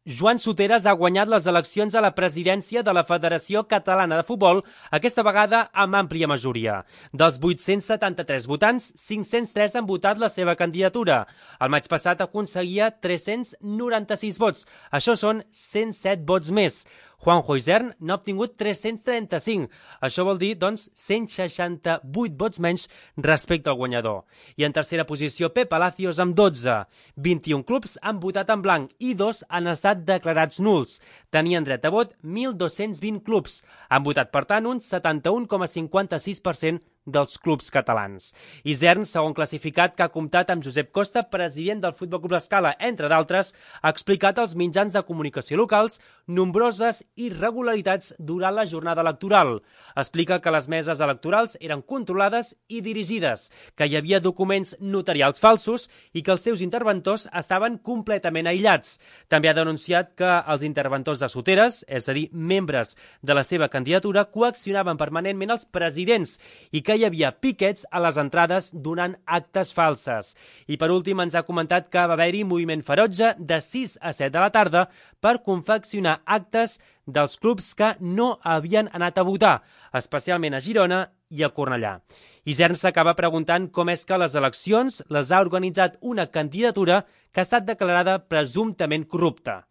Joan Soteras ha guanyat les eleccions a la presidència de la Federació Catalana de Futbol, aquesta vegada amb àmplia majoria. Dels 873 votants, 503 han votat la seva candidatura. El maig passat aconseguia 396 vots. Això són 107 vots més. Juanjo Isern n'ha obtingut 335. Això vol dir, doncs, 168 vots menys respecte al guanyador. I en tercera posició, Pep Palacios amb 12. 21 clubs han votat en blanc i 2 han estat declarats nuls. Tenien dret a vot 1.220 clubs. Han votat, per tant, un 71,56% dels clubs catalans. Isern, segon classificat, que ha comptat amb Josep Costa, president del Futbol Club L'Escala, entre d'altres, ha explicat als mitjans de comunicació locals nombroses irregularitats durant la jornada electoral. Explica que les meses electorals eren controlades i dirigides, que hi havia documents notarials falsos i que els seus interventors estaven completament aïllats. També ha denunciat que els interventors de Soteras, és a dir, membres de la seva candidatura, coaccionaven permanentment els presidents i que hi havia piquets a les entrades donant actes falses. I per últim ens ha comentat que va haver-hi moviment ferotge de 6 a 7 de la tarda per confeccionar actes dels clubs que no havien anat a votar, especialment a Girona i a Cornellà. Isern s'acaba preguntant com és que les eleccions les ha organitzat una candidatura que ha estat declarada presumptament corrupta.